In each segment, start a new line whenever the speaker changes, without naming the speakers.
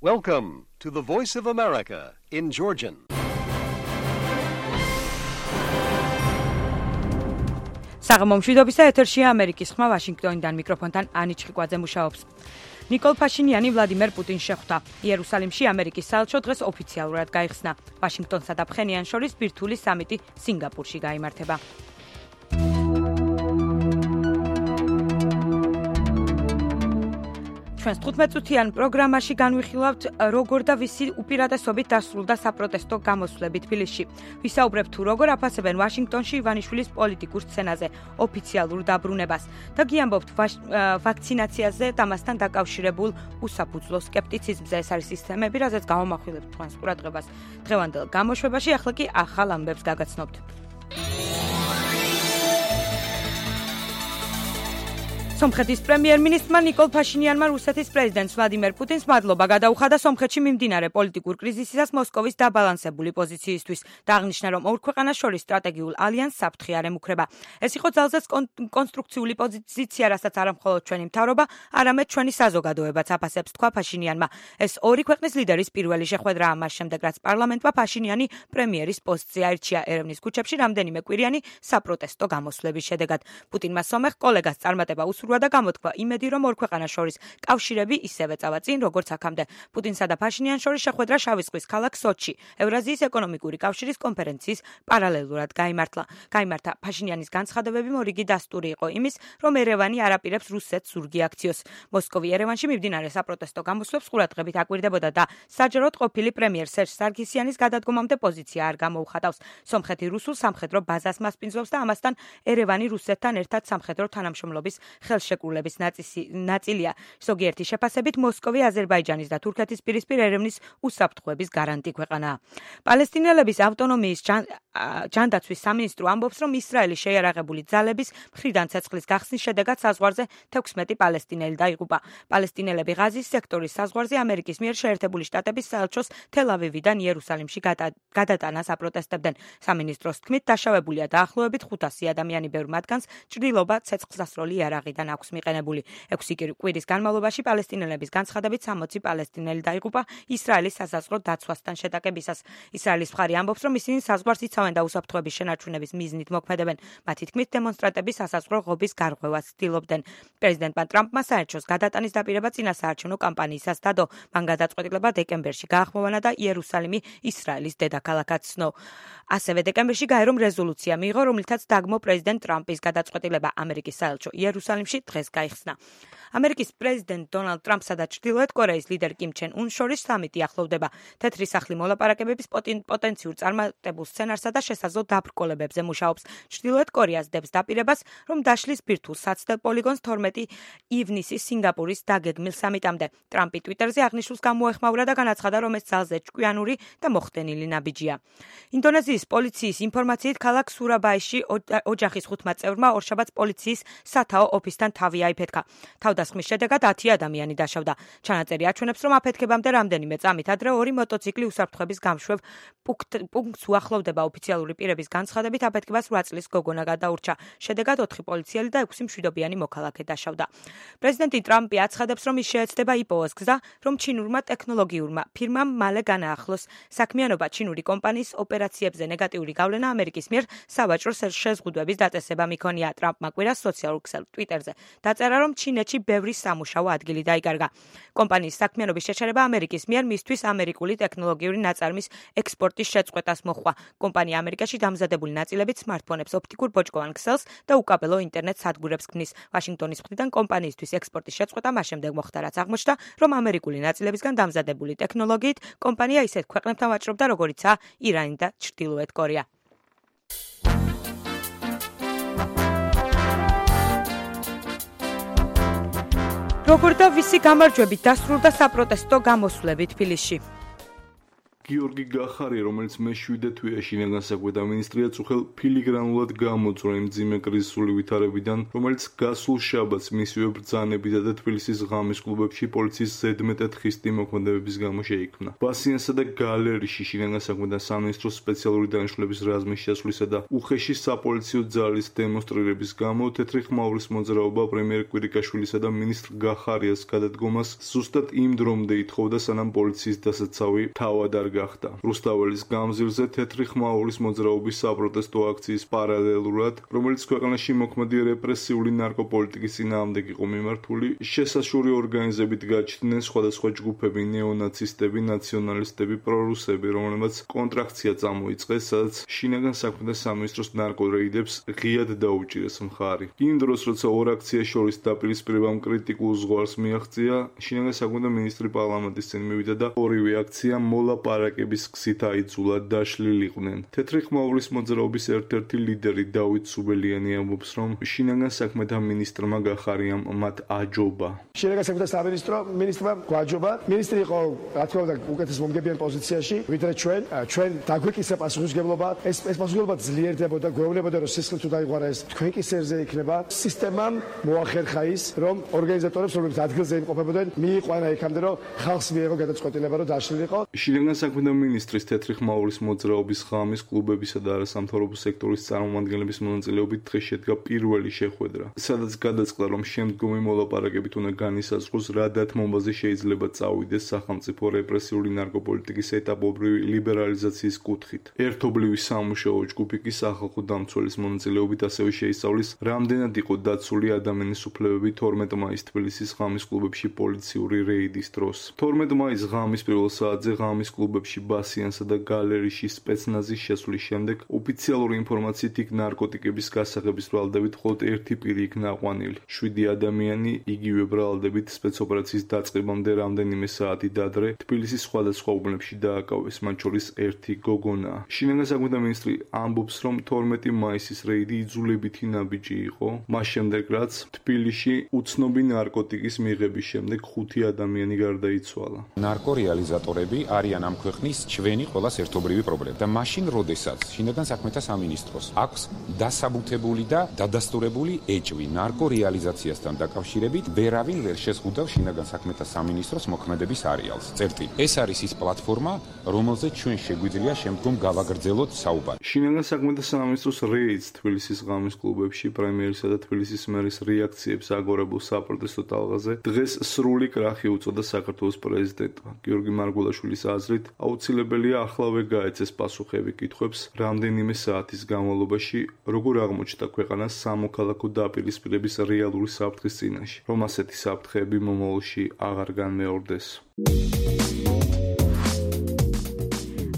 Welcome to the Voice of America in Georgian.
საღამომშვიდობისა ეთერშია ამერიკის ხმა ვაშინგტონიდან მიკროფონთან ანი ჩხიკვაძე მუშაობს. ნიკოლ ფაშინიანი ვლადიმერ პუტინს შეხვდა. იერუსალიმში ამერიკის საელჩო დღეს ოფიციალურად გაიხსნა. ვაშინგტონსა და ფხენიანს შორის ბირთვული სამიტი სინგაპურში გაიმართება. ჩვენს 15-წუთიან პროგრამაში განვიხილავთ, როგორ და ვისი უპირატესობით დასრულდა საპროტესტო გამოსვლები თბილისში. ვისაუბრებთ თუ როგორ აფასებენ ვაშინგტონში ივანიშვილის პოლიტიკურ სცენაზე ოფიციალურ დაბრუნებას და გიამბობთ ვაქცინაციაზე და მასთან დაკავშირებულ უსაფუძვლო სკეპტიციზმზე. ეს არის ის თემები, რაზეც გავამახვილებთ თქვენს ყურადღებას. დღევანდელ გამოშვებაში ახლა კი ახალ ამბებს გაგაცნობთ. სომხეთის პრემიერ-მინისტრმა ნიკოლ ფაშინიანმა რუსეთის პრეზიდენტს ვლადიმერ პუტინს მადლობა გადაუხადა სომხეთში მიმდინარე პოლიტიკურ კრიზისისას მოსკოვის დაბალანსებული პოზიციისთვის და აღნიშნა, რომ ორ ქვეყანას შორის სტრატეგიულ ალიანსს საფრთხე არ ემუქრება. ეს იყო ძალზედ კონსტრუქციული პოზიცია, რასაც არა მხოლოდ ჩვენი მთავრობა, არამედ ჩვენი საზოგადოებაც აფასებს, თქვა ფაშინიანმა. ეს ორი ქვეყნის ლიდერის პირველი შეხვედრაა მას შემდეგ, რაც პარლამენტმა ფაშინიანი პრემიერის პოსტზე აირჩია ერევნის ქუჩებში რამდენიმე კვირიანი საპროტესტო გამოსვლების შედეგად. პუტინმა სომეხ კოლეგას წარმატება და გამოთქვა იმედი, რომ ორ ქვეყანას შორის კავშირები ისევე წავა წინ, როგორც აქამდე. პუტინსა და ფაშინიანს შორის შეხვედრა შავი ზღვის ქალაქ სოჩში, ევრაზიის ეკონომიკური კავშირის კონფერენციის პარალელურად გაიმართა. ფაშინიანის განცხადებები მორიგი დასტური იყო იმის, რომ ერევანი არ აპირებს რუსეთს ზურგი აქციოს. მოსკოვი ერევანში მიმდინარე საპროტესტო გამოსვლებს ყურადღებით აკვირდებოდა და საჯაროდ ყოფილი პრემიერ სერჟ სარგისიანის გადადგომამდე პოზიცია არ გამოუხატავს. სომხეთი რუსულ სამხედრო ბაზას მასპინძლობს და ამასთან ერევანი რუსეთთან ერთად სამხედრო თანამშრომლობის ხელშეკრულების ნაწილია. ზოგიერთი შეფასებით მოსკოვი აზერბაიჯანის და თურქეთის პირისპირ ერევნის უსაფრთხოების გარანტი ქვეყანაა. პალესტინელების ავტონომიის ჯანდაცვის სამინისტრო ამბობს, რომ ისრაელის შეიარაღებული ძალების მხრიდან ცეცხლის გახსნის შედეგად საზღვარზე 16 პალესტინელი დაიღუპა. პალესტინელები ღაზის სექტორის საზღვარზე ამერიკის მიერ შეერთებული შტატების საელჩოს თელ-ავივიდან იერუსალიმში გადატანას აპროტესტებდნენ. სამინისტროს თქმით, დაშავებულია დაახლოებით 500 ადამიანი, ბევრ მათგანს ჭრილობა ცეცხლსასროლი იარაღიდან აქვს მიყენებული. 6 კვირის განმავლობაში პალესტინელების განცხადებით 60 პალესტინელი დაიღუპა ისრაელის სასაზღვრო დაცვასთან შეტაკებისას. ისრაელის მხარი ამბობს, რომ ისინი საზღვარს იცავენ და უსაფრთხოების შენარჩუნების მიზნით მოქმედებენ. მათი თქმით, დემონსტრანტები სასაზღვრო ღობის გარღვევას ცდილობდნენ. პრეზიდენტმა ტრამპმა საელჩოს გადატანის დაპირება წინასაარჩევნო კამპანიისას დადო. მან გადაწყვეტილება დეკემბერში გაახმოვანა და იერუსალიმი ისრაელის დედაქალაქად ცნო. ასევე დეკემბერში გაერომ რეზოლუცია მიიღო, რომლითაც დაგმო პრეზიდენტ ტრამპის გადაწყვეტილება. ამერიკის საელჩო იერუსალიმში დღეს გაიხსნა. ამერიკის პრეზიდენტ დონალდ ტრამპსა და ჩრდილოეთ კორეის ლიდერ კიმ ჩენ უნს შორის სამიტი ახლოვდება. თეთრი სახლი მოლაპარაკებების პოტენციურ წარმატებულ სცენარსა და შესაძლო დაბრკოლებებზე მუშაობს. ჩრდილოეთ კორეას დებს დაპირებას, რომ დაშლის ბირთვულ საცდელ პოლიგონს 12 ივნისის სინგაპურის დაგეგმილ სამიტამდე. ტრამპი ტვიტერზე აღნიშნულს გამოეხმაურა და განაცხადა, რომ ეს ძალზე ჭკვიანური და მოხდენილი ნაბიჯია. ინდონეზიის პოლიციის ინფორმაციით ქალაქ სურაბაიში ოჯახის 5 წევრმა ორშაბათს პოლიციის სათაო ოფისთან თავი აიფეთქა. თავდასხმის შედეგად 10 ადამიანი დაშავდა. ჩანაწერი აჩვენებს, რომ აფეთქებამდე რამდენიმე წამით ადრე ორი მოტოციკლი უსაფრთხოების გამშვებ პუნქტს უახლოვდება. ოფიციალური პირების განცხადებით აფეთქებას 8 წლის გოგონა გადაურჩა. შედეგად 4 პოლიციელი და 6 მშვიდობიანი მოქალაქე დაშავდა. პრეზიდენტი ტრამპი აცხადებს, რომ ის შეეცდება იპოვოს გზა, რომ ჩინურმა ტექნოლოგიურმა ფირმამ მალე განაახლოს საქმიანობა. ჩინური კომპანიის ოპერაციებზე ნეგატიური გავლენა ამერიკის მიერ სავაჭრო შეზღუდვების დაწესება მიქონია. ტრამპმა კვირას სოციალურ ქსელ ტვიტერზე დაწერა, რომ ჩინეთში ბევრი სამუშაო ადგილი დაიკარგა. კომპანიის საქმიანობის შეჩერება ამერიკის მიერ მისთვის ამერიკული ტექნოლოგიური ნაწარმის ექსპორტის შეწყვეტას მოჰყვა. კომპანია ამერიკაში დამზადებული ნაწილებით სმარტფონებს, ოპტიკურ ბოჭკოვან ქსელს და უკაბელო ინტერნეტ სადგურებს ქმნის. ვაშინგტონის მხრიდან კომპანიისთვის ექსპორტის შეწყვეტა მას შემდეგ მოხდა, რაც აღმოჩნდა, რომ ამერიკული ნაწილებისგან დამზადებული ტექნოლოგიით კომპანია ისეთ ქვეყნებთან ვაჭრობდა, როგორიცაა ირანი და ჩრდილოეთ კორეა. როგორ და ვისი გამარჯვებით დასრულდა საპროტესტო გამოსვლები თბილისში.
გიორგი გახარია, რომელიც მე-7 თვეა შინაგან საქმეთა მინისტრია, უხელ ფილიგრანულად გამოძრა იმ მძიმე კრიზისული ვითარებიდან, რომელიც გასულ შაბათს მისივე ბრძანებითა და თბილისის ღამის კლუბებში პოლიციის ზედმეტად ხისტი მოქმედებების გამო შეიქმნა. ბასიანსა და გალერიში შინაგან საქმეთა სამინისტროს სპეციალური დანიშნულების რაზმის შესვლისა და უხეში საპოლიციო ძალის დემონსტრირების გამო თეთრი ხმაურის მოძრაობა პრემიერ კვირიკაშვილისა და მინისტრ გახარიას გადადგომას ზუსტად იმ დრომდე ითხოვდა, სანამ პოლიციის დასაცავი თავად არ გახდა. რუსთაველის გამზირზე თეთრი ხმაურის მოძრაობის საპროტესტო აქციის პარალელურად, რომელიც ქვეყანაში მოქმედი რეპრესიული ნარკოპოლიტიკის წინააღმდეგ იყო მიმართული, შესაშური ორგანიზებით გაჩნდნენ სხვადასხვა ჯგუფები, ნეონაცისტები, ნაციონალისტები, პრორუსები, რომლებმაც კონტრაქცია წამოიწყეს, სადაც შინაგან საქმეთა სამინისტროს ნარკორეიდებს ღიად დაუჭირეს მხარი. იმ დროს, როცა ორ აქციას შორის დაპირისპირებამ კრიტიკულ ზღვარს მიაღწია, შინაგან საქმეთა მინისტრი პარლამენტის წინ მივიდა და ორივე აქცია მოლაპარაკების გზით აიძულა, დაშლილიყვნენ. თეთრი ხმაურის მოძრაობის ერთ-ერთი ლიდერი დავით სუბელიანი ამბობს, რომ შინაგან საქმეთა მინისტრმა გახარიამ მათ აჯობა.
შინაგან საქმეთა სამინისტრმა გვაჯობა. მინისტრი იყო, რა თქმა უნდა, უკეთეს მომგებიან პოზიციაში, ვიდრე ჩვენ დაგვეკისრა პასუხისმგებლობა. ეს პასუხისმგებლობა ძლიერდებოდა, გვეუბნებოდა, რომ სისხლი თუ დაიღვარა ეს თქვენ კისერზე იქნება. სისტემამ მოახერხა ის, რომ ორგანიზატორებს, რომლებიც ადგილზე იმყოფებოდნენ, მიიყვანა იქამდე, რომ ხალხს მიეღო გადაწყვეტილება, რომ დაშლილიყო.
შინაგან საქმეთა მინისტრის თეთრი ხმაურის მოძრაობის ღამის კლუბებისა და არასამთავრობო სექტორის წარმომადგენლების მონაწილეობით დღეს შედგა პირველი შეხვედრა, სადაც გადაწყდა, რომ შემდგომი მოლაპარაკებით უნდა განისაზღვროს, რა დათმობაზე შეიძლება წავიდეს სახელმწიფო რეპრესიული ნარკოპოლიტიკის ეტაპობრივი ლიბერალიზაციის კუთხით. ერთობლივი სამუშაო ჯგუფი კი სახალხო დამცველის მონაწილეობით ასევე შეისწავლის, რამდენად იყო დაცული ადამიანის უფლებები 12 მაისს თბილისის ღამის კლუბებში პოლიციური რეიდის დროს. 12 მაისს ღამის პირველ საათზე ღამის კლუბებში ბასიანსა და გალერიში სპეცნაზის შესვლის შემდეგ ოფიციალური ინფორმაციით იქ ნარკოტიკების გასაღების ბრალდებით მხოლოდ ერთი პირი იქნა აყვანილი. 7 ადამიანი იგივე ბრალდებით სპეცოპერაციის დაწყებამდე რამდენიმე საათი ადრე თბილისის სხვადასხვა უბნებში დააკავეს, მათ შორის ერთი გოგონა. შინაგან საქმეთა მინისტრი ამბობს, რომ 12 მაისის რეიდი იძულებითი ნაბიჯი იყო, მას შემდეგ რაც თბილისში უცნობი ნარკოტიკის მიღების შემდეგ 5 ადამიანი გარდაიცვალა.
ნარკორეალიზატორები არიან ამ ქვეყნის ჩვენი ყველას ერთობლივი პრობლემა და მაშინ, როდესაც შინაგან საქმეთა სამინისტროს აქვს დასაბუთებული და დადასტურებული ეჭვი ნარკორეალიზაციასთან დაკავშირებით, ვერავინ ვერ შეზღუდავს შინაგან საქმეთა სამინისტროს მოქმედების არეალს. წერტილი. ეს არის ის პლატფორმა, რომელზეც ჩვენ შეგვიძლია შემდგომ გავაგრძელოთ საუბარი.
შინაგან საქმეთა სამინისტროს რეიდს თბილისის ღამის კლუბებში პრემიერისა და თბილისის მერის რეაქციებს აგორებულ საპროტესტო ტალღაზე დღეს სრული კრახი უწოდა საქართველოს პრეზიდენტმა. გიორგი მარგულაშვილის აზრით, აუცილებელია ახლავე გაეცეს პასუხები კითხვებს, რამდენიმე საათის განმავლობაში როგორ აღმოჩნდა ქვეყანა სამოქალაქო დაპირისპირების რეალური საფრთხის წინაშე, რომ ასეთი საფრთხეები მომავალში აღარ განმეორდეს.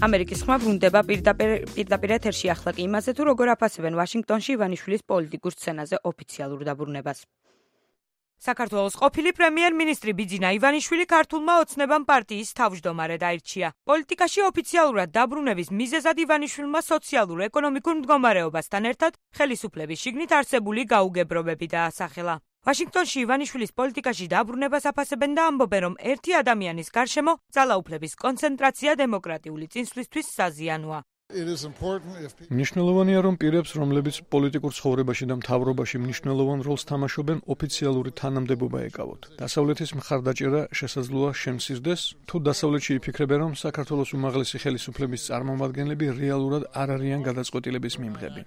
ამერიკის ხმა ბრუნდება პირდაპირ ეთერში ახლა კი იმაზე, თუ როგორ აფასებენ ვაშინგტონში ივანიშვილის პოლიტიკურ სცენაზე ოფიციალურ დაბრუნებას. საქართველოს ყოფილი პრემიერ-მინისტრი ბიძინა ივანიშვილი ქართულმა ოცნებამ პარტიის თავმჯდომარედ აირჩია. პოლიტიკაში ოფიციალურად დაბრუნების მიზეზად ივანიშვილმა სოციალურ-ეკონომიკურ მდგომარეობასთან ერთად ხელისუფლების შიგნით არსებული გაუგებრობები დაასახელა. ვაშინგტონში ივანიშვილის პოლიტიკაში დაბრუნებას აფასებენ და ამბობენ, რომ ერთი ადამიანის გარშემო ძალაუფლების კონცენტრაცია დემოკრატიული წინსვლისთვის საზიანოა.
მნიშვნელოვანია, რომ პირებს, რომლებიც პოლიტიკურ ცხოვრებაში და მთავრობაში მნიშვნელოვან როლს თამაშობენ, ოფიციალური თანამდებობა ეკავოთ. დასავლეთის მხარდაჭერა შესაძლოა შემცირდეს, თუ დასავლეთში იფიქრებენ, რომ საქართველოს უმაღლესი ხელისუფლების წარმომადგენლები რეალურად არ არიან გადაწყვეტილების მიმღები.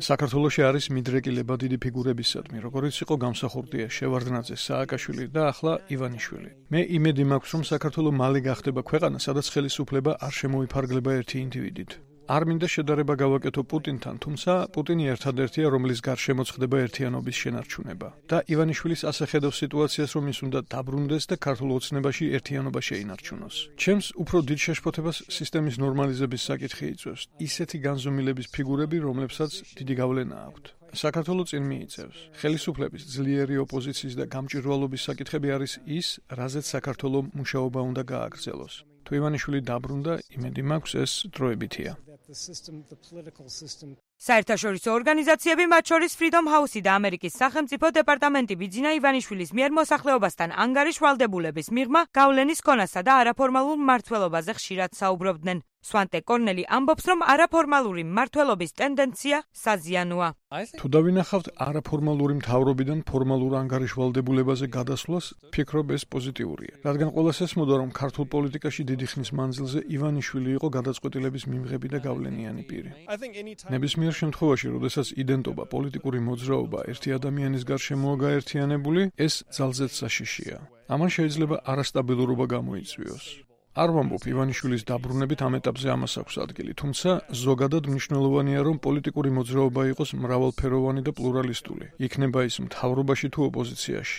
საქართველოში არის მიდრეკილება დიდი ფიგურებისადმი, როგორიც იყო გამსახურდია, შევარდნაძე, სააკაშვილი და ახლა ივანიშვილი. მე იმედი მაქვს, რომ საქართველო მალე გახდება ქვეყანა, სადაც ხელისუფლება არ შემოიფარგლება ერთი ინდივიდით. არ მინდა შედარება გავაკეთო პუტინთან, თუმცა პუტინი ერთადერთია, რომლის გარშემოც ხდება ერთიანობის შენარჩუნება. და ივანიშვილის ასე ხედავს სიტუაციას, რომ ის უნდა დაბრუნდეს და ქართულ ოცნებაში ერთიანობა შეინარჩუნოს. ჩემს უფრო დიდ შეშფოთებას სისტემის ნორმალიზების საკითხი იწვევს. ისეთი განზომილების ფიგურები, რომლებსაც დიდი გავლენა აქვთ. საქართველო წინ მიიწევს. ხელისუფლების ძლიერი ოპოზიციის და გამჭვირვალობის საკითხები არის ის, რაზეც საქართველო მუშაობა უნდა გააგრძელოს. თუ ივანიშვილი დაბრუნდა, იმედი მაქვს ეს დროებითია.
საერთაშორისო ორგანიზაციები, მათ შორის Freedom House-ი და ამერიკის სახელმწიფო დეპარტამენტი ბიძინა ივანიშვილის მიერ მოსახლეობასთან ანგარიშ ვალდებულების მიღმა, გავლენის ქონასა და არაფორმალურ მმართველობაზე ხშირად საუბრობდნენ. სვანტე კორნელი ამბობს, რომ არაფორმალური მმართველობის ტენდენცია საზიანოა.
თუ დავინახავთ არაფორმალური მთავრობიდან ფორმალურ ანგარიშვალდებულებაზე გადასვლას, ვფიქრობ ეს პოზიტიურია. რადგან ყველას ესმოდა, რომ ქართულ პოლიტიკაში დიდი ხნის მანძილზე ივანიშვილი იყო გადაწყვეტილების მიმღები და გავლენიანი პირი. ნებისმიერ შემთხვევაში, როდესაც იდენტობა, პოლიტიკური მოძრაობა ერთი ადამიანის გარშემოა გაერთიანებული, ეს ძალზედ საშიშია. ამან შეიძლება არასტაბილურობა გამოიწვიოს. არ ვამბობ ივანიშვილის დაბრუნებით ამ ეტაპზე ამას აქვს ადგილი, თუმცა ზოგადად მნიშვნელოვანია, რომ პოლიტიკური მოძრაობა იყოს მრავალფეროვანი და პლურალისტული. იქნება ის მთავრობაში თუ ოპოზიციაში.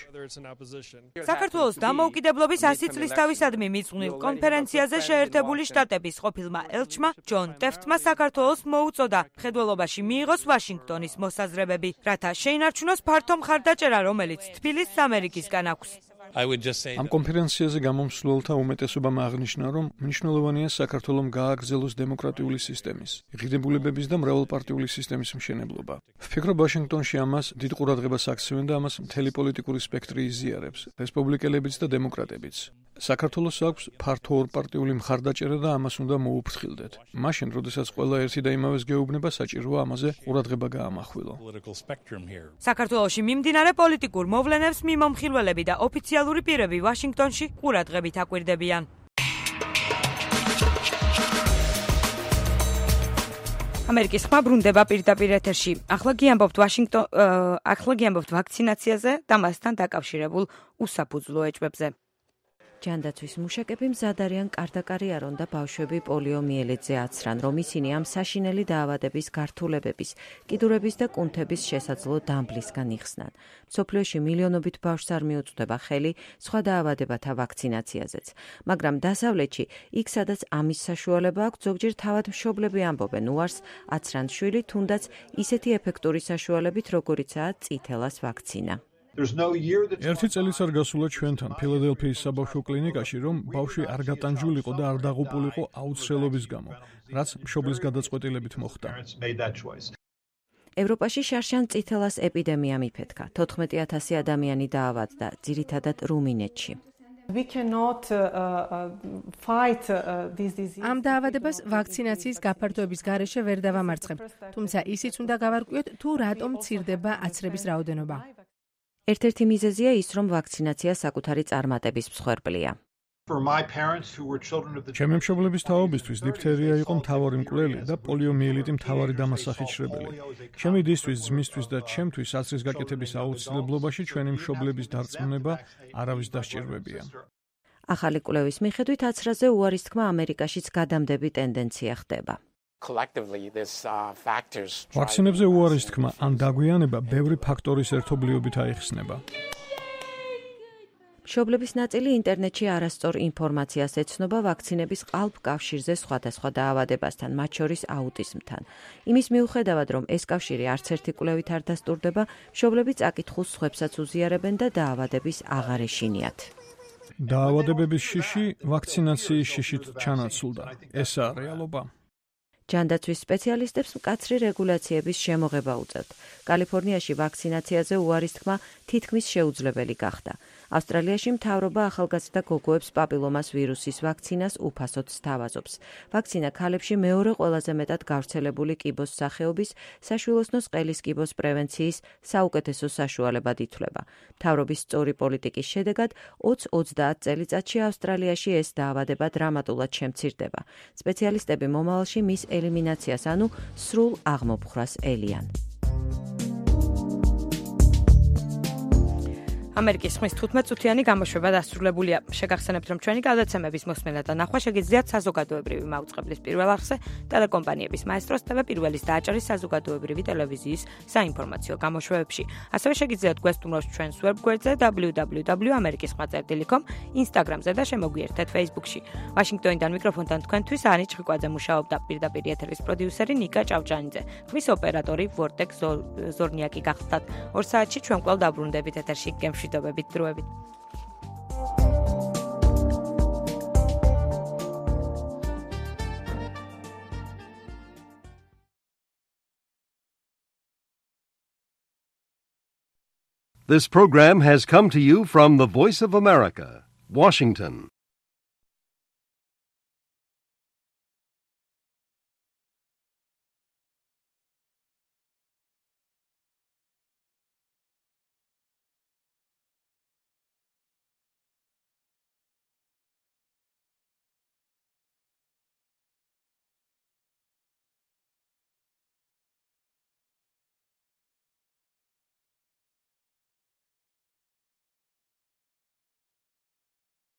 საქართველოს დამოუკიდებლობის 100 წლისთავისადმი მიძღვნილ კონფერენციაზე შეერთებული შტატების ყოფილმა ელჩმა ჯონ ტეფტმა საქართველოს მოუწოდა მხედველობაში მიიღოს ვაშინგტონის მოსაზრებები, რათა შეინარჩუნოს ფართო მხარდაჭერა, რომელიც თბილისს ამერიკისგან აქვს.
ამ კონფერენციაზე გამომსვლელთა უმეტესობამ აღნიშნა, რომ მნიშვნელოვანია საქართველომ გააგრძელოს დემოკრატიული სისტემის, ღირებულებების და მრავალპარტიული სისტემის მშენებლობა. ვფიქრობ, ვაშინგტონში ამას დიდ ყურადღებას აქცევენ და ამას მთელი პოლიტიკური სპექტრი იზიარებს, რესპუბლიკელებიც და დემოკრატებიც. საქართველოს აქვს ფართო ორპარტიული მხარდაჭერა და ამას უნდა მოუფრთხილდეთ. მაშინ, როდესაც ყველა ერთი და იმავეს გეუბნება, საჭიროა ამაზე ყურადღება გაამახვილო.
საქართველოში მიმდინარე პოლიტიკურ მოვლენებს მიმომხილველები და ოფიციალური პირები ვაშინგტონში ყურადღებით აკვირდებიან. ამერიკის ხმა ბრუნდება პირდაპირ ეთერში. ახლა გიამბობთ ვაქცინაციაზე და მასთან დაკავშირებულ უსაფუძვლო ეჭვებზე.
ჯანდაცვის მუშაკები მზად არიან კარდაკარიერონ და ბავშვები პოლიომიელიტზე აცრან, რომ ისინი ამ საშინელი დაავადების გართულებების, კიდურების და კუნთების შესაძლო დამბლისგან იხსნან. მსოფლიოში მილიონობით ბავშვს არ მიუწვდება ხელი სხვა დაავადებათა ვაქცინაციაზეც. მაგრამ დასავლეთში, იქ სადაც ამის საშუალება აქვს, ზოგჯერ თავად მშობლები ამბობენ უარს აცრან შვილი, თუნდაც ისეთი ეფექტური საშუალებით, როგორიცაა წითელას ვაქცინა.
ერთი წელიც არ გასულა ჩვენთან ფილადელფიის საბავშვო კლინიკაში, რომ ბავშვი არ გატანჯულიყო და არ დაღუპულიყო აუცილებლობის გამო, რაც მშობლის გადაწყვეტილებით მოხდა.
ევროპაში შარშან წითელას ეპიდემია მიფეთქა. 14,000 ადამიანი დაავადდა, ძირითადად რუმინეთში.
ამ დაავადებას ვაქცინაციის გაფართოების გარეშე ვერ დავამარცხებ, თუმცა ისიც უნდა გავარკვიოთ, თუ რატომ მცირდება აცრების რაოდენობა.
ერთ-ერთი მიზეზია ის, რომ ვაქცინაცია საკუთარი წარმატების მსხვერპლია.
ჩემი მშობლების თაობისთვის დიფთერია იყო მთავარი მკვლელი და პოლიომიელიტი მთავარი დამასახიჩრებელი. ჩემი დისთვის, ძმისთვის და ჩემთვის აცრის გაკეთების აუცილებლობაში ჩვენი მშობლების დარწმუნება არავის დასჭირვებია.
ახალი კვლევის მიხედვით აცრაზე უარის თქმა ამერიკაშიც გადამდები ტენდენცია ხდება.
ვაქცინებზე უარის თქმა ან დაგვიანება ბევრი ფაქტორის ერთობლიობით აიხსნება.
მშობლების ნაწილი ინტერნეტში არასწორ ინფორმაციას ეცნობა ვაქცინების ყალბ კავშირზე სხვადასხვა დაავადებასთან, მათ შორის აუტიზმთან. იმის მიუხედავად, რომ ეს კავშირი არც ერთი კვლევით არ დასტურდება, მშობლები წაკითხულს სხვებსაც უზიარებენ და დაავადების აღარ ეშინიათ.
დაავადებების შიში ვაქცინაციის შიშით ჩანაცვლდა. ესაა რეალობა.
ჯანდაცვის სპეციალისტებს მკაცრი რეგულაციების შემოღება უწევთ. კალიფორნიაში ვაქცინაციაზე უარის თქმა თითქმის შეუძლებელი გახდა. ავსტრალიაში მთავრობა ახალგაზრდა გოგოებს პაპილომას ვირუსის ვაქცინას უფასოდ სთავაზობს. ვაქცინა ქალებში მეორე ყველაზე მეტად გავრცელებული კიბოს სახეობის საშვილოსნოს ყელის კიბოს პრევენციის საუკეთესო საშუალებად ითვლება. მთავრობის სწორი პოლიტიკის შედეგად 20-30 წელიწადში ავსტრალიაში ეს დაავადება დრამატულად შემცირდება. სპეციალისტები მომავალში მის ელიმინაციას, ანუ სრულ აღმოფხვრას ელიან.
ამერიკის ხმის 15-წუთიანი გამოშვება დასრულებულია. შეგახსენებთ, რომ ჩვენი გადაცემების მოსმენა და ნახვა შეგიძლიათ საზოგადოებრივი მაუწყებლის პირველ არხზე, ტელეკომპანიების მაესტროს TV პირველის და აჭარის საზოგადოებრივი ტელევიზიის საინფორმაციო გამოშვებებში. ასევე შეგიძლიათ გვესტუმროს ჩვენს ვებგვერდზე www.amerikisxma.com, Instagram-ზე და შემოგვიერთეთ Facebook-ში. ვაშინგტონიდან მიკროფონთან თქვენთვის ანი ჩხიკვაძე მუშაობდა, პირდაპირ ეთერის პროდიუსერი ნიკა ჭავჭანიძე, ხმის ოპერატორი ვორტეკ ზორნიაკი გახდათ. 2 საათში ჩვენ კვლავ დაბრუნდებით ეთერში გემშვიდობებით დროებით.
This program has come to you from the Voice of America, Washington.